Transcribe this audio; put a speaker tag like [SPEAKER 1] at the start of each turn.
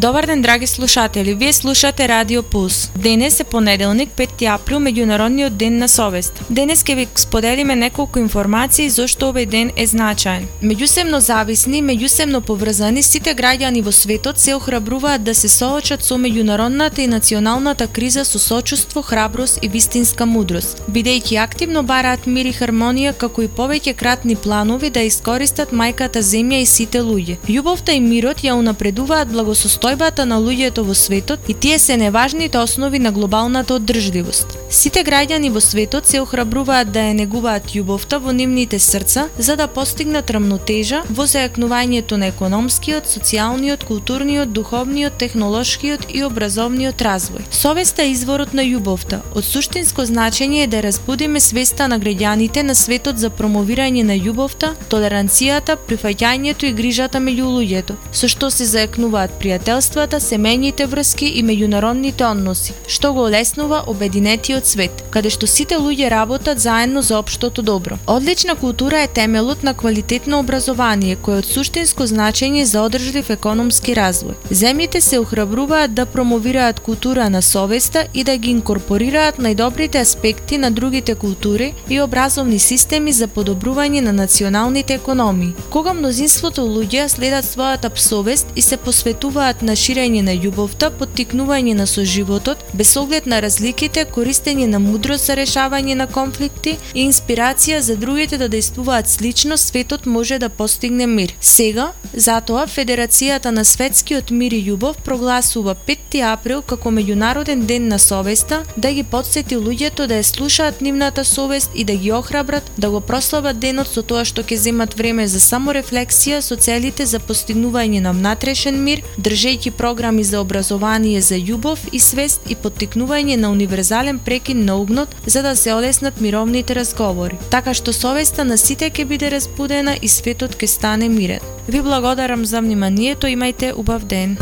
[SPEAKER 1] Добар ден, драги слушатели, вие слушате Радио Пулс. Денес е понеделник, 5 април, меѓународниот ден на совест. Денес ќе ви споделиме неколку информации зошто овој ден е значаен. Меѓусебно зависни, меѓусебно поврзани, сите граѓани во светот се охрабруваат да се соочат со меѓународната и националната криза со сочувство, храброст и вистинска мудрост, бидејќи активно бараат мир и хармонија, како и повеќе кратни планови да искористат мајката земја и сите луѓе. Љубовта и мирот ја унапредуваат благосостојбата на луѓето во светот и тие се неважните основи на глобалната оддржливост. Сите граѓани во светот се охрабруваат да ја негуваат љубовта во нивните срца за да постигнат рамнотежа во зајакнувањето на економскиот, социјалниот, културниот, духовниот, технолошкиот и образовниот развој. Совеста е изворот на љубовта. Од суштинско значење е да разбудиме свеста на граѓаните на светот за промовирање на љубовта, толеранцијата, прифаќањето и грижата меѓу луѓето, со што се зајакнуваат пријателствата, семејните врски и меѓународните односи, што го олеснува обединетиот свет, каде што сите луѓе работат заедно за општото добро. Одлична култура е темелот на квалитетно образование, кој е од суштинско значење за одржлив економски развој. Земјите се охрабруваат да промовираат култура на совеста и да ги инкорпорираат најдобрите аспекти на другите култури и образовни системи за подобрување на националните економии. Кога мнозинството луѓе следат својата совест и се посветуваат на ширење на љубовта, поттикнување на соживотот, без оглед на разликите, користење на мудрост за решавање на конфликти и инспирација за другите да действуваат слично, светот може да постигне мир. Сега, затоа, Федерацијата на светскиот мир и љубов прогласува 5 април како меѓународен ден на совеста, да ги потсети луѓето да ја слушаат нивната совест и да ги охрабрат да го прослават денот со тоа што ќе земат време за саморефлексија со целите за постигнување на внатрешен мир, држејќи програми за образование за љубов и свест и поттикнување на универзален прекин на угнот за да се олеснат мировните разговори, така што совеста на сите ќе биде разбудена и светот ќе стане мирен. Ви благодарам за вниманието, имајте убав ден.